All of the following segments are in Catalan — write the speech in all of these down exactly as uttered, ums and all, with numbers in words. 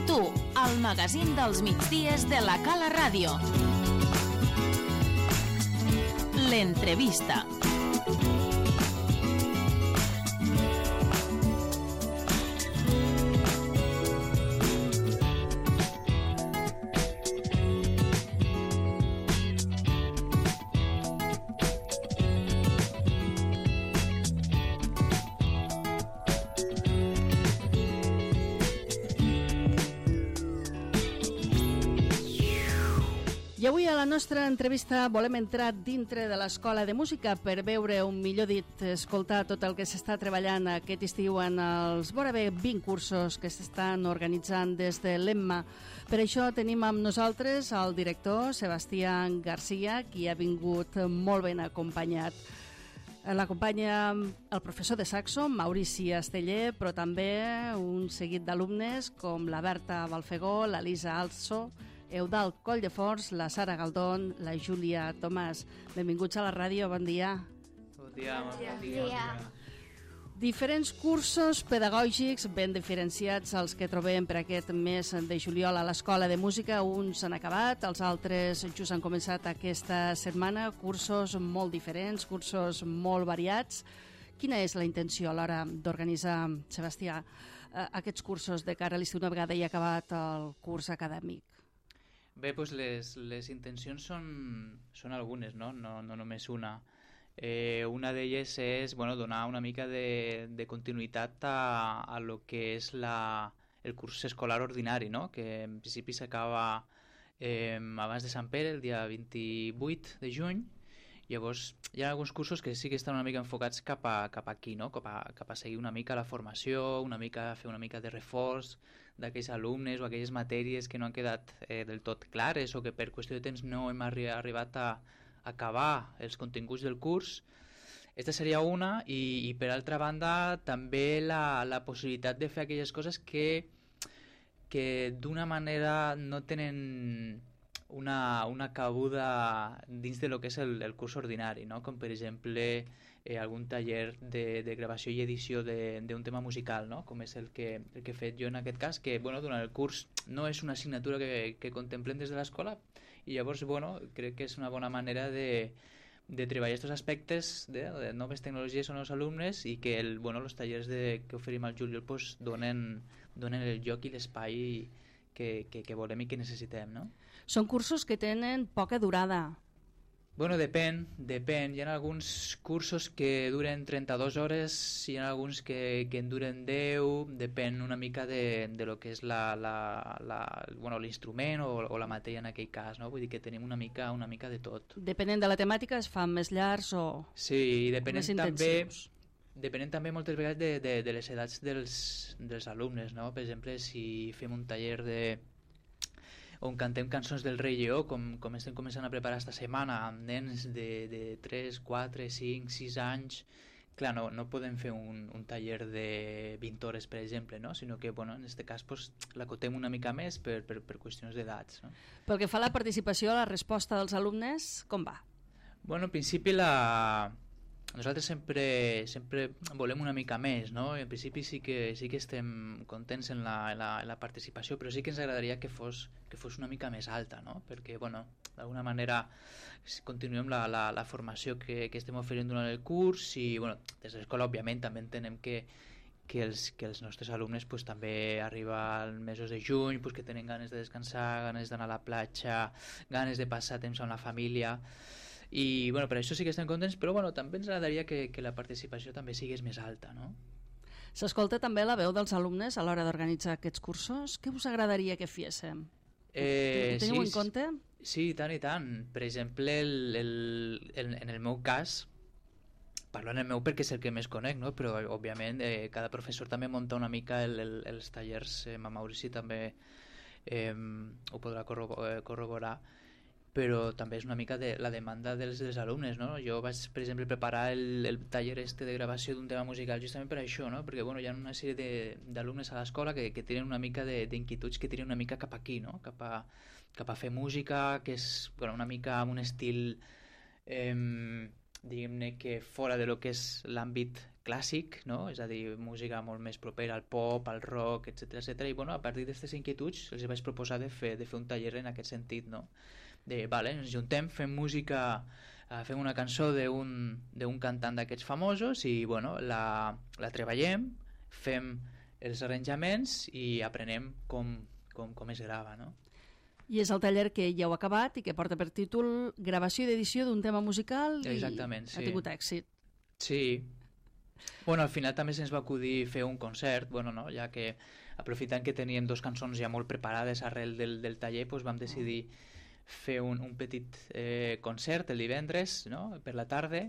amb tu, el magazín dels migdies de la Cala Ràdio. L'entrevista. I avui a la nostra entrevista volem entrar dintre de l'Escola de Música per veure, un millor dit, escoltar tot el que s'està treballant aquest estiu en els vora bé vint cursos que s'estan organitzant des de l'Emma. Per això tenim amb nosaltres el director Sebastià Garcia, qui ha vingut molt ben acompanyat. L'acompanya el professor de saxo, Maurici Esteller, però també un seguit d'alumnes com la Berta Balfegó, la Lisa Also, Eudald Colldefors, la Sara Galdón, la Júlia Tomàs. Benvinguts a la ràdio, bon dia. Bon dia. Bon dia. Bon dia. Diferents cursos pedagògics ben diferenciats els que trobem per aquest mes de juliol a l'Escola de Música. Uns han acabat, els altres just han començat aquesta setmana. Cursos molt diferents, cursos molt variats. Quina és la intenció a l'hora d'organitzar, Sebastià, aquests cursos de cara a l'estiu una vegada hi ha acabat el curs acadèmic? Bé, doncs les, les intencions són, són algunes, no? No, no només una. Eh, una d'elles és bueno, donar una mica de, de continuïtat a, a lo que és la, el curs escolar ordinari, no? Que en principi s'acaba eh, abans de Sant Pere, el dia vint-i-vuit de juny. Llavors hi ha alguns cursos que sí que estan una mica enfocats cap, a, cap aquí, no? cap, a, cap a seguir una mica la formació, una mica fer una mica de reforç d'aquells alumnes o aquelles matèries que no han quedat eh, del tot clares o que per qüestió de temps no hem arri arribat a acabar els continguts del curs. Esta seria una i, i per altra banda també la, la possibilitat de fer aquelles coses que, que d'una manera no tenen una, una cabuda dins de lo que és el, el curs ordinari, no? Com per exemple eh, algun taller de, de gravació i edició d'un tema musical, no? Com és el que, el que he fet jo en aquest cas, que bueno, durant el curs no és una assignatura que, que contemplem des de l'escola i llavors bueno, crec que és una bona manera de, de treballar aquests aspectes de, de noves tecnologies en els alumnes i que el, bueno, els tallers de, que oferim al juliol pues, donen, donen el lloc i l'espai Que, que, que volem i que necessitem, no? Són cursos que tenen poca durada. Bueno, depèn, depèn. Hi ha alguns cursos que duren trenta-dues hores, hi ha alguns que, que en duren deu, depèn una mica de, de lo que és la, la, la, bueno, l'instrument o, o la matèria en aquell cas, no? Vull dir que tenim una mica, una mica de tot. Depenent de la temàtica es fan més llargs o sí, i depenent més intensius. També Depenent també moltes vegades de, de, de les edats dels, dels alumnes, no? Per exemple, si fem un taller de on cantem cançons del Rei Lleó, com, com estem començant a preparar esta setmana, amb nens de, de tres, quatre, cinc, sis anys, clar, no, no podem fer un, un taller de vint hores, per exemple, no? Sinó que, bueno, en aquest cas, pues, l'acotem una mica més per, per, per qüestions d'edats, no? Pel que fa a la participació, la resposta dels alumnes, com va? Bueno, en principi la... Nosaltres sempre, sempre volem una mica més, no? En principi sí que, sí que estem contents en la, en la, en la participació, però sí que ens agradaria que fos, que fos una mica més alta, no? Perquè, bueno, d'alguna manera continuem la, la, la formació que, que estem oferint durant el curs i, bueno, des de l'escola, òbviament, també entenem que, que, els, que els nostres alumnes pues, també arriba als mesos de juny, pues, que tenen ganes de descansar, ganes d'anar a la platja, ganes de passar temps amb la família. I bueno, per això sí que estem contents, però bueno, també ens agradaria que, que la participació també sigués més alta, no? S'escolta també la veu dels alumnes a l'hora d'organitzar aquests cursos? Què us agradaria que féssim? Eh, Ho teniu sí, en compte? Sí, tant i tant. Per exemple, el, el, el, en el meu cas, parlo en el meu perquè és el que més conec, no? Però òbviament eh, cada professor també munta una mica el, el, els tallers, eh, Maurici també eh, ho podrà corroborar, però també és una mica de la demanda dels, dels alumnes, no? Jo vaig, per exemple, preparar el, el taller este de gravació d'un tema musical justament per això, no? Perquè bueno, hi ha una sèrie d'alumnes a l'escola que, que tenen una mica d'inquietuds que tiren una mica cap aquí, no? Cap a, cap a fer música, que és bueno, una mica amb un estil eh, diguem-ne que fora de lo que és l'àmbit clàssic, no? És a dir, música molt més propera al pop, al rock, etcètera, etcètera. I bueno, a partir d'aquestes inquietuds els vaig proposar de fer, de fer un taller en aquest sentit, no? De, vale, ens juntem, fem música, uh, fem una cançó d'un cantant d'aquests famosos i bueno, la, la treballem, fem els arranjaments i aprenem com, com, com es grava, no? I és el taller que ja heu acabat i que porta per títol Gravació i edició d'un tema musical i Exactament, sí. Ha tingut èxit. Sí. Bueno, al final també se'ns va acudir fer un concert, bueno, no? Ja que aprofitant que teníem dos cançons ja molt preparades arrel del, del taller, doncs vam decidir fer un, un petit eh, concert el divendres, no? Per la tarda,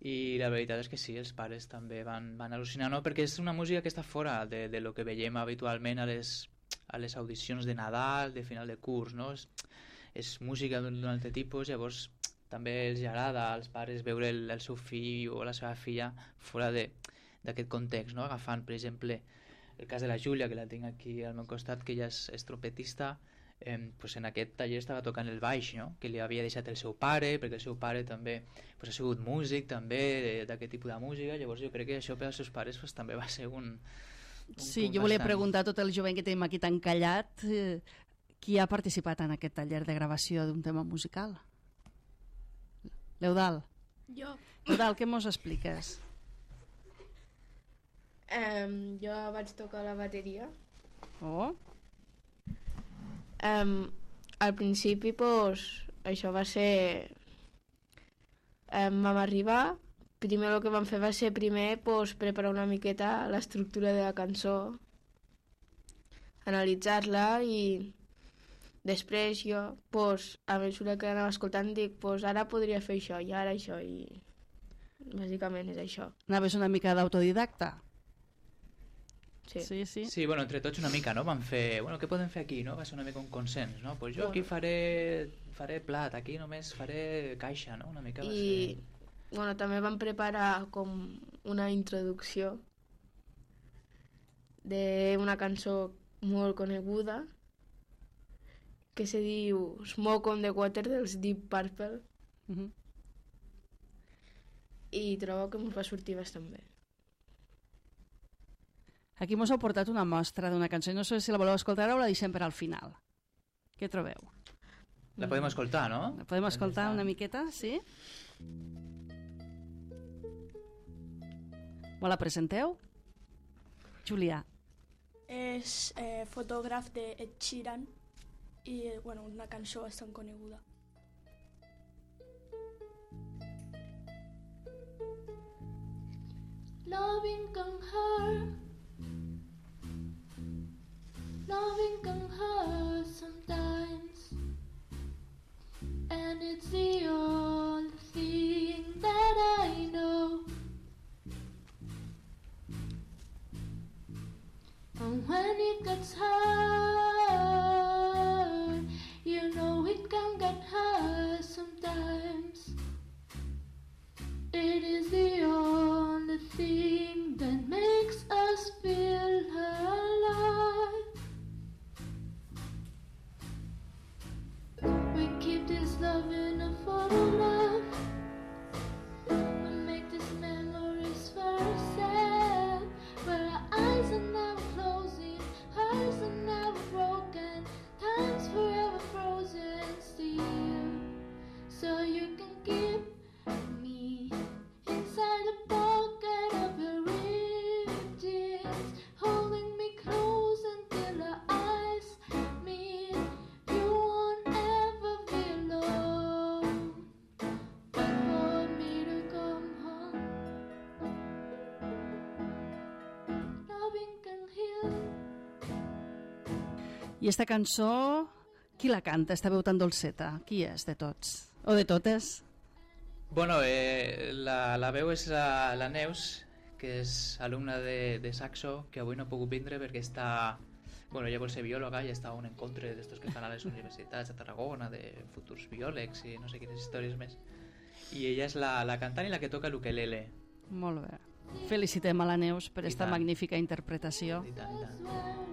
i la veritat és que sí, els pares també van, van al·lucinar, no? Perquè és una música que està fora de, de lo que veiem habitualment a les, a les audicions de Nadal, de final de curs, no? És, és música d'un altre tipus, llavors també els agrada als pares veure el, el seu fill o la seva filla fora d'aquest context, no? Agafant, per exemple, el cas de la Júlia, que la tinc aquí al meu costat, que ella és, és trompetista, eh, pues en aquest taller estava tocant el baix, no? Que li havia deixat el seu pare, perquè el seu pare també pues, ha sigut músic, també d'aquest tipus de música, llavors jo crec que això per als seus pares pues, també va ser un... un sí, jo volia bastant... preguntar a tot el jovent que tenim aquí tan callat, eh, qui ha participat en aquest taller de gravació d'un tema musical? L'Eudal. Jo. Eudal, què mos expliques? Um, jo vaig tocar la bateria. Oh. Um, al principi, pues, això va ser... Um, vam arribar, primer el que vam fer va ser primer pues, preparar una miqueta l'estructura de la cançó, analitzar-la i després jo, pues, a mesura que anava escoltant, dic, pues, ara podria fer això i ara això i bàsicament és això. Anaves una mica d'autodidacta? Sí. Sí, sí. Sí, bueno, entre tots una mica, no? Vam fer, bueno, què podem fer aquí, no? Va ser una mica un consens, no? Pues jo aquí faré, faré plat, aquí només faré caixa, no? Una mica va I, ser... bueno, també vam preparar com una introducció d'una cançó molt coneguda que se diu Smoke on the Water dels Deep Purple. Uh-huh. I trobo que ens va sortir bastant bé. Aquí mos heu portat una mostra d'una cançó. No sé si la voleu escoltar o la deixem per al final. Què trobeu? La podem escoltar, no? La podem escoltar una miqueta, sí? Me la presenteu? Julià. És eh, fotògraf de Ed Sheeran i bueno, una cançó bastant coneguda. Loving can hurt, loving can hurt sometimes, and it's the only thing that I know. And when it gets hard, you know it can get hard sometimes. It is the only thing that makes us feel alive. We keep this love in a photograph. We make these memories very sad, where our eyes are never closing, hearts are never broken, time's forever frozen still. So you can keep me inside the pocket of your ripped jeans, holding me close until our eyes meet. You won't ever be alone. Wait for me to come home. Loving can heal. I esta cançó, qui la canta? Esta veu tan dolceta. Qui és de tots? O de totes? Bueno, eh, la, la veu és la, la Neus, que és alumna de, de saxo, que avui no ha pogut vindre perquè està... Bueno, ella vol ser biòloga i està a un encontre d'estos que fan a les universitats de Tarragona, de futurs biòlegs i no sé quines històries més. I ella és la, la cantant i la que toca l'ukelele. Molt bé. Felicitem a la Neus per I esta tant. magnífica interpretació. I tant, i tant.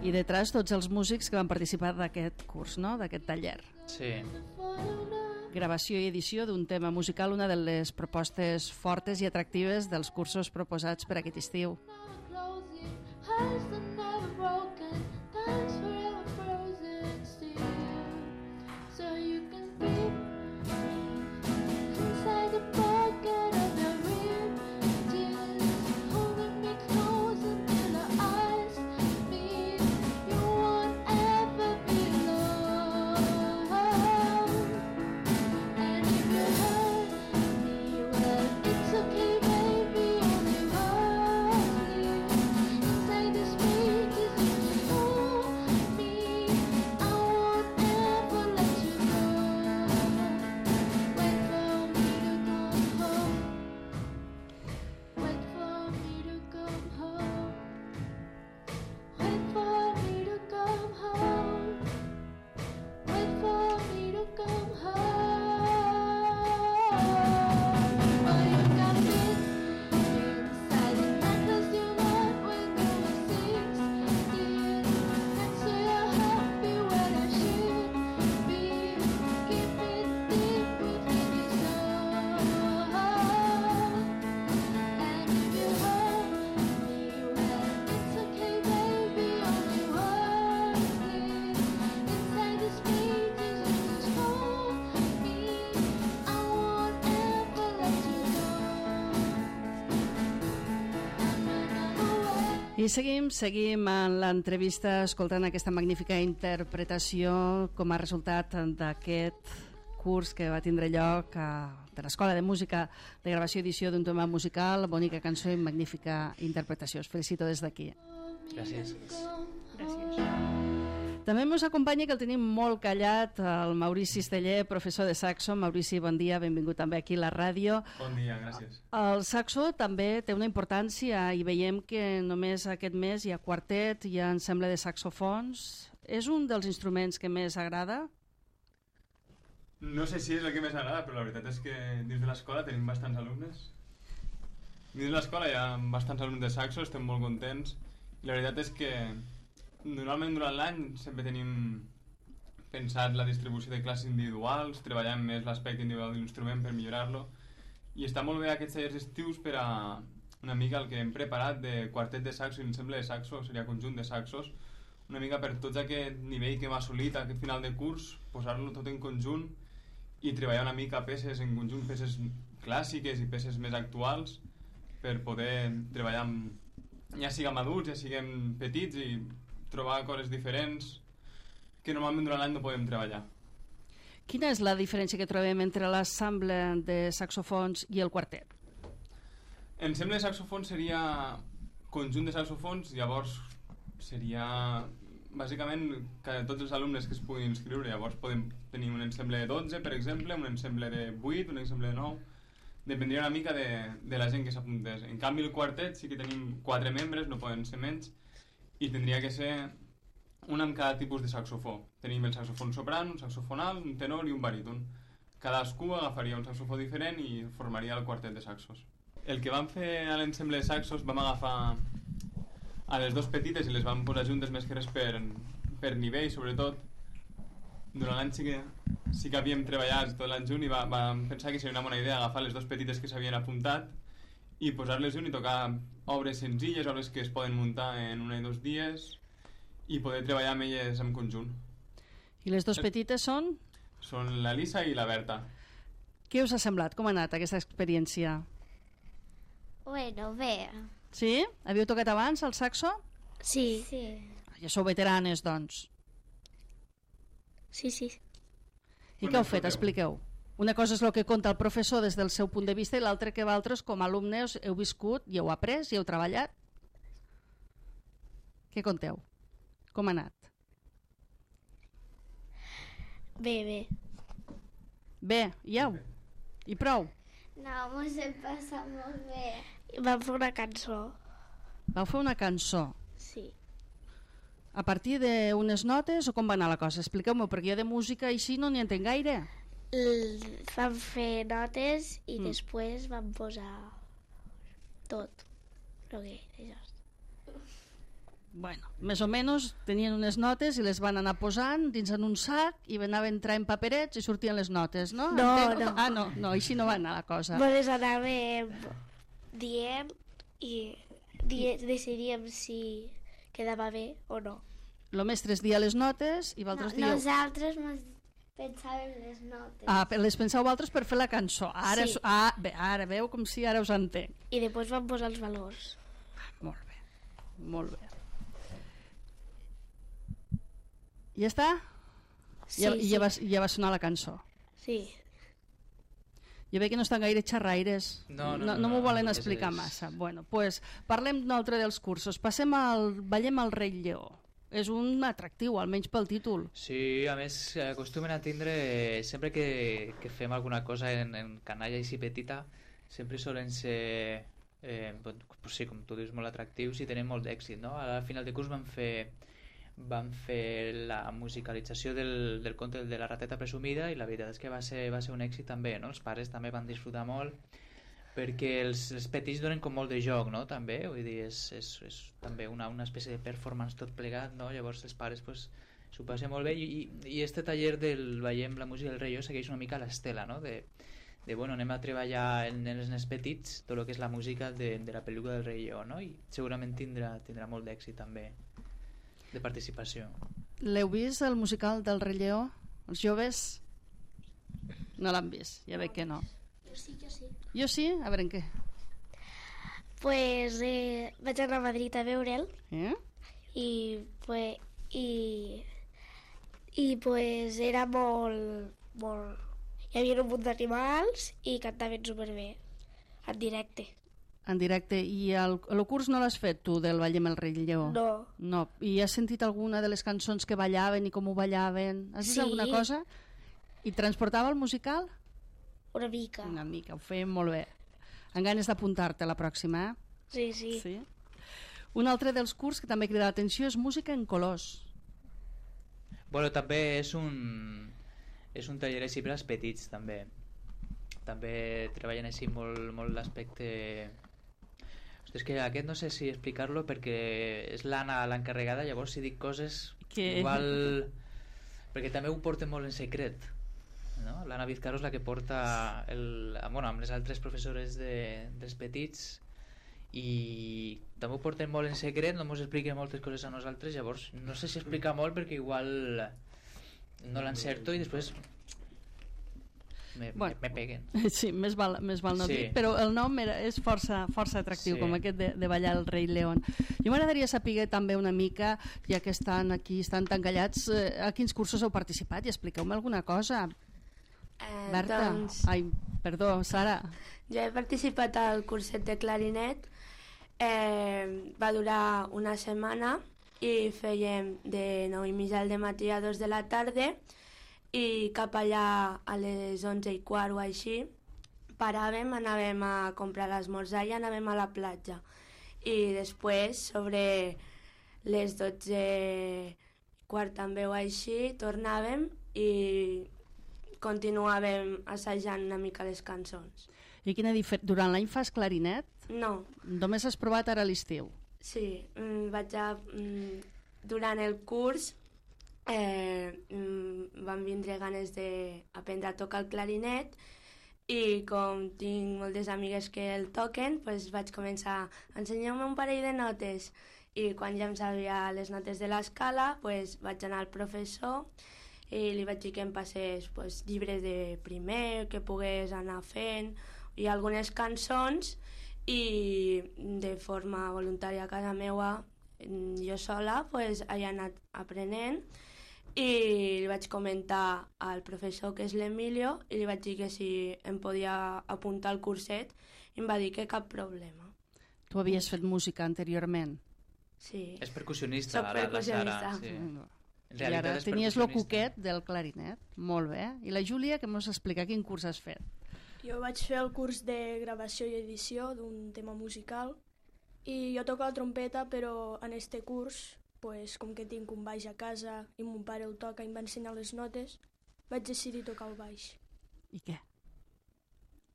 I detrás tots els músics que van participar d'aquest curs, no? D'aquest taller. Sí. Photograph. gravació i edició d'un tema musical, una de les propostes fortes i atractives dels cursos proposats per aquest estiu. I seguim, seguim en l'entrevista escoltant aquesta magnífica interpretació com a resultat d'aquest curs que va tindre lloc a, de l'Escola de Música de Gravació i Edició d'un tema musical, bonica cançó i magnífica interpretació. Us felicito des d'aquí. Gràcies. Gràcies. També ens acompanya, que el tenim molt callat, el Maurici Esteller, professor de saxo. Maurici, bon dia, benvingut també aquí a la ràdio. Bon dia, gràcies. El saxo també té una importància i veiem que només aquest mes hi ha quartet, hi ha ensemble de saxofons. És un dels instruments que més agrada? No sé si és el que més agrada, però la veritat és que dins de l'escola tenim bastants alumnes. Dins de l'escola hi ha bastants alumnes de saxo, estem molt contents. I la veritat és que normalment durant l'any sempre tenim pensat la distribució de classes individuals, treballant més l'aspecte individual de l'instrument per millorar-lo, i està molt bé aquests tallers estius per a una mica el que hem preparat de quartet de saxo i ensemble de saxo, seria conjunt de saxos, una mica per tots aquest nivell que hem assolit aquest final de curs, posar-lo tot en conjunt i treballar una mica peces en conjunt, peces clàssiques i peces més actuals, per poder treballar amb, ja siguem adults, ja siguem petits, i trobar coses diferents que normalment durant l'any no podem treballar. Quina és la diferència que trobem entre l'ensemble de saxofons i el quartet? Ensemble de saxofons seria conjunt de saxofons, llavors seria bàsicament que tots els alumnes que es puguin inscriure, llavors podem tenir un ensemble de dotze, per exemple, un ensemble de vuit, un ensemble de nou, dependria una mica de, de la gent que s'apuntés. En canvi el quartet sí que tenim quatre membres, no poden ser menys, i tindria que ser un amb cada tipus de saxofó. Tenim el saxofon sopran, un saxofon alt, un tenor i un baríton. Cadascú agafaria un saxofó diferent i formaria el quartet de saxos. El que vam fer a l'ensemble de saxos, vam agafar a les dos petites i les vam posar juntes més que res per, per nivell, sobretot. Durant l'any sí que, sí que havíem treballat tot l'any junt i va, vam pensar que seria una bona idea agafar les dos petites que s'havien apuntat i posar-les junt i tocar obres senzilles, obres que es poden muntar en un o dos dies i poder treballar amb elles en conjunt. I les dues petites són? Són la Lisa i la Berta. Què us ha semblat? Com ha anat aquesta experiència? Bueno, bé. Sí? Havíeu tocat abans el saxo? Sí. Sí. Ja sou veteranes, doncs. Sí, sí. I què heu fet? Expliqueu. Una cosa és el que conta el professor des del seu punt de vista i l'altra que vosaltres, com a alumnes, heu viscut i heu après i heu treballat. Què conteu? Com ha anat? Bé, bé. Bé, ja? I prou? No, mos hem passat molt bé. Vam fer una cançó. Vau fer una cançó? Sí. A partir d'unes notes o com va anar la cosa? Expliqueu-m'ho, perquè jo de música així no n'hi entenc gaire. L vam fer notes i Mm. després vam posar tot. Però què, això. Bueno, més o menys tenien unes notes i les van anar posant dins en un sac i anaven traient paperets i sortien les notes, no? No, Entenc? no. Ah, no, no, així no va anar la cosa. Me les anàvem dient i die, decidiríem si quedava bé o no. El mestre es dia les notes i No, vosaltres dieu... nosaltres mos pensàvem les notes. Ah, per- les penseu vosaltres per fer la cançó. Ara, Sí. sí. ah, bé, ara veu com si ara us entenc. I després vam posar els valors. Molt bé, molt bé. Ja està? Sí, ja, sí. ja, va, ja va sonar la cançó. Sí. Jo veig que no estan gaire xerraires. No, no, no, no, no m'ho no, volen és- explicar és- massa. Bueno, pues, parlem d'un altre dels cursos. Passem al... Ballem al Rei Lleó. És un atractiu, almenys pel títol. Sí, a més eh, acostumen a tindre, sempre que, que fem alguna cosa en, en canalla i si petita, sempre solen ser, eh, doncs, sí, com tu dius, molt atractius i tenen molt d'èxit, no? Al final de curs vam fer, vam fer la musicalització del, del conte de la rateta presumida i la veritat és que va ser, va ser un èxit també, no? Els pares també van disfrutar molt perquè els, els petits donen com molt de joc, no? També, vull dir, és, és, és també una, una espècie de performance tot plegat, no? Llavors els pares pues, s'ho passen molt bé i, i, i este taller del Veiem la música del Rei Lleó segueix una mica l'estela, no? De, de bueno, anem a treballar en, en els nens petits tot el que és la música de, de la pel·lícula del Rei Lleó, no? I segurament tindrà, tindrà molt d'èxit també de participació. L'heu vist, el musical del Rei Lleó? Els joves no l'han vist, ja veig que no. Jo sí, jo sí. Jo sí? A veure en què. Pues eh, vaig anar a Madrid a veure'l Eh? i, pues, i, i pues era molt, molt... Hi havia un munt d'animals i cantaven superbé, en directe. En directe. I el, el curs no l'has fet tu, del Ballem el Rei Lleó? No, No. I has sentit alguna de les cançons que ballaven i com ho ballaven? Has vist Sí. alguna cosa? I transportava el musical? una mica. Una mica, ho feien molt bé. Amb ganes d'apuntar-te la pròxima, eh? Sí, sí. Sí. Un altre dels curs que també crida l'atenció és música en colors. Bueno, també és un, és un taller així per als petits, també. També treballen així molt, molt l'aspecte... Hosti, és que aquest no sé si explicar-lo perquè és l'Anna l'encarregada, llavors si dic coses Que- igual... Perquè també ho porten molt en secret, no? L'Anna Vizcarro és la que porta el, bueno, amb les altres professores de, dels petits i també ho porten molt en secret, no ens expliquen moltes coses a nosaltres, llavors no sé si explica molt perquè igual no l'encerto i després me, Bueno. me, me peguen. Sí, més val, més val no Sí. dir, però el nom era, és força, força atractiu, Sí. com aquest de, de ballar el Rei León. Jo m'agradaria saber també una mica, ja que estan aquí, estan tan callats, eh, a quins cursos heu participat i expliqueu-me alguna cosa. Eh, Berta, doncs, ai, perdó, Sara. jo he participat al curset de clarinet, eh, va durar una setmana i fèiem de nou i mitja al matí a dos de la tarda i cap allà a les onze i quart o així paràvem, anàvem a comprar l'esmorzar i anàvem a la platja. I després, sobre les dotze i quart també o així, tornàvem i continuàvem assajant una mica les cançons. I quina difer... Durant l'any fas clarinet? No, Només has provat ara a l'estiu. sí, mm, vaig a... Mm, durant el curs eh, mm, van vindre ganes d'aprendre a tocar el clarinet i com tinc moltes amigues que el toquen, pues vaig començar a ensenyar-me un parell de notes i quan ja em sabia les notes de l'escala pues vaig anar al professor i li vaig dir que em passés pues, llibres de primer, que pogués anar fent i algunes cançons i de forma voluntària a casa meua jo sola pues, he anat aprenent i li vaig comentar al professor que és l'Emilio i li vaig dir que si em podia apuntar al curset i em va dir que cap problema. Tu havies fet música anteriorment. Sí. És percussionista, Soc la, la percussionista. Sara. Sí. Mm. En I ara realitat és tenies el percussionista. cuquet del clarinet. Molt bé. I la Júlia, que mos explica quin curs has fet? Jo vaig fer el curs de gravació i edició d'un tema musical i jo toco la trompeta, però en este curs, pues, com que tinc un baix a casa i mon pare el toca i em va ensenyar les notes, vaig decidir tocar el baix. I què?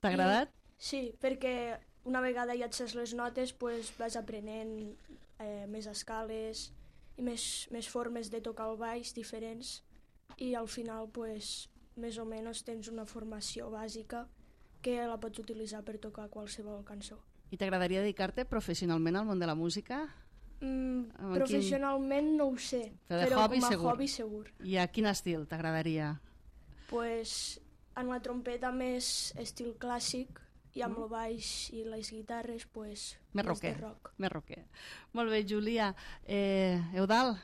T'ha agradat? Sí, perquè una vegada ja et saps les notes, pues, vas aprenent eh, més escales i més, més formes de tocar el baix diferents i al final pues, més o menys tens una formació bàsica que la pots utilitzar per tocar qualsevol cançó. I t'agradaria dedicar-te professionalment al món de la música? Mm, Amb professionalment quin... no ho sé, però, però hobby, com a segur. hobby segur. I a quin estil t'agradaria? Pues, en la trompeta més estil clàssic i amb el baix i les guitarres pues, més més rocker. de rock. Més rocker. Molt bé, Júlia. Eh, Eudald,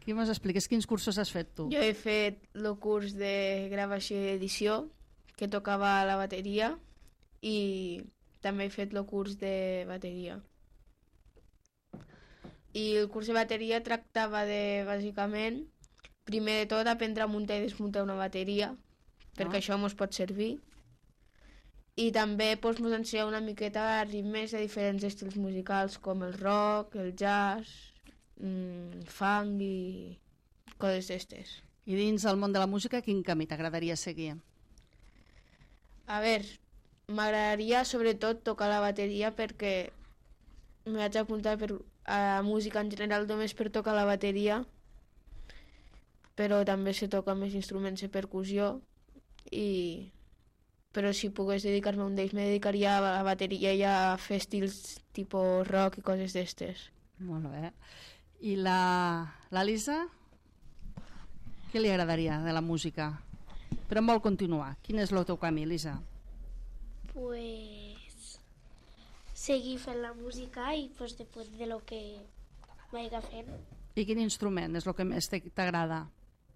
qui mos expliques quins cursos has fet tu? Jo he fet el curs de gravació i edició, que tocava la bateria, i també he fet el curs de bateria. I el curs de bateria tractava de, bàsicament, primer de tot, aprendre a muntar i desmuntar una bateria, perquè Ah. això mos pot servir. I també doncs, mos ensenya una miqueta ritmes de diferents estils musicals, com el rock, el jazz, mmm, funk i coses d'estes. I dins del món de la música, quin camí t'agradaria seguir? A veure, m'agradaria sobretot tocar la bateria perquè me vaig apuntar per, a música en general només per tocar la bateria, però també se toca més instruments de percussió, i... però si pogués dedicar-me a un d'ells me dedicaria a la bateria i a fer estils tipus rock i coses d'estes. Molt bé. I la, la Lisa? Què li agradaria de la música? Però en vol continuar. Quin és el teu camí, Lisa? Pues seguir fent la música i pues, després de lo que vaiga fent, I quin instrument és el que més t'ag- t'agrada?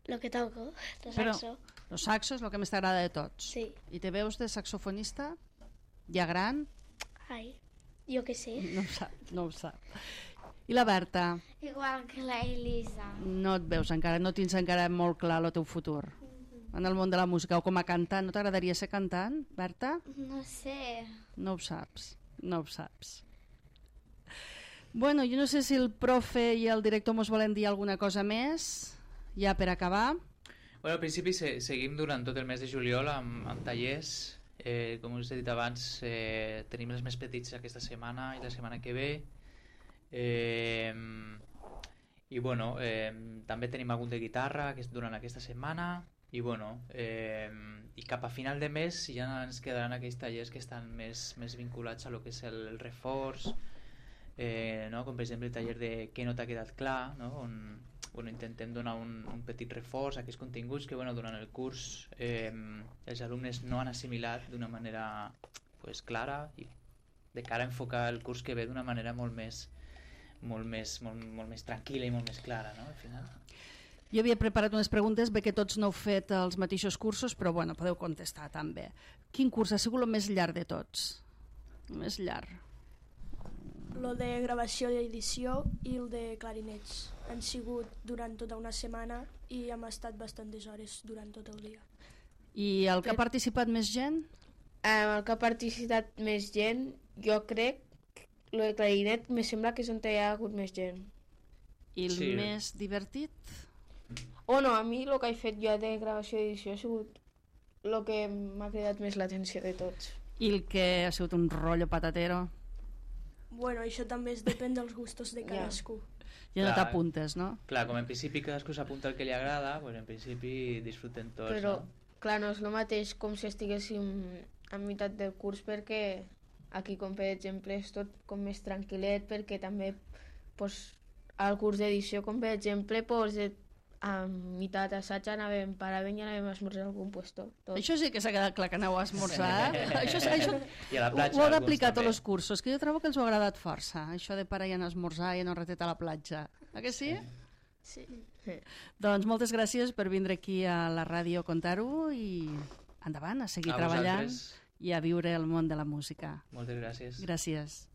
lo que toco, de Però- saxo. El saxo és el que més t'agrada de tots. Sí. I te veus de saxofonista? Ja gran? Ai, jo què sé. No ho sap, no ho sap. I la Berta? Igual que la Elisa. No et veus encara, no tens encara molt clar el teu futur en el món de la música o com a cantant. No t'agradaria ser cantant, Berta? No sé. No ho saps, no ho saps. Bueno, jo no sé si el profe i el director mos volen dir alguna cosa més, ja per acabar. Bueno, al principi se, seguim durant tot el mes de juliol amb, amb tallers. Eh, com us he dit abans, eh, tenim els més petits aquesta setmana i la setmana que ve. Eh, I bueno, eh, també tenim algun de guitarra que és durant aquesta setmana. I bueno, eh, i cap a final de mes ja ens quedaran aquells tallers que estan més, més vinculats a lo que és el, el reforç, eh, no? Com per exemple el taller de què no t'ha quedat clar, no? On bueno, intentem donar un, un petit reforç a aquests continguts que bueno, durant el curs eh, els alumnes no han assimilat d'una manera pues, clara i de cara a enfocar el curs que ve d'una manera molt més, molt més, molt, molt més tranquil·la i molt més clara, no? Al final. Jo havia preparat unes preguntes, bé que tots no heu fet els mateixos cursos, però bueno, podeu contestar també. Quin curs ha sigut el més llarg de tots? El més llarg. Lo de gravació i edició i el de clarinets. Han sigut durant tota una setmana i hem estat bastantes hores durant tot el dia. I el que ha participat més gent? Amb el que ha participat més gent, jo crec que el de clarinet me sembla que és on hi ha hagut més gent. I el Sí. més divertit? O no, a mi el que he fet jo de gravació i edició ha sigut el que m'ha cridat més l'atenció de tots. I el que ha sigut un rotllo patatero? Bueno, això també es depèn dels gustos de cadascú. Ja no Clar. t'apuntes, no? Clar, com en principi cadascú s'apunta el que li agrada, pues en principi disfruten tots, Però, no? clar, no és el mateix com si estiguéssim a meitat del curs, perquè aquí, com per exemple, és tot com més tranquil·let, perquè també pues, al curs d'edició, com per exemple, pues, a meitat assaig anàvem, paràvem i anàvem a esmorzar a algun puesto. Tot. Això sí que s'ha quedat clar que aneu a esmorzar. això, això I a la platja, ho heu alguns d'aplicar a tots també. els cursos, que jo trobo que els ho ha agradat força, això de parar i anar a esmorzar i anar un ratet a la platja. A que sí? Sí. Doncs moltes gràcies per vindre aquí a la ràdio a contar-ho i endavant, a seguir A treballant vosaltres. i a viure el món de la música. Moltes gràcies. Gràcies.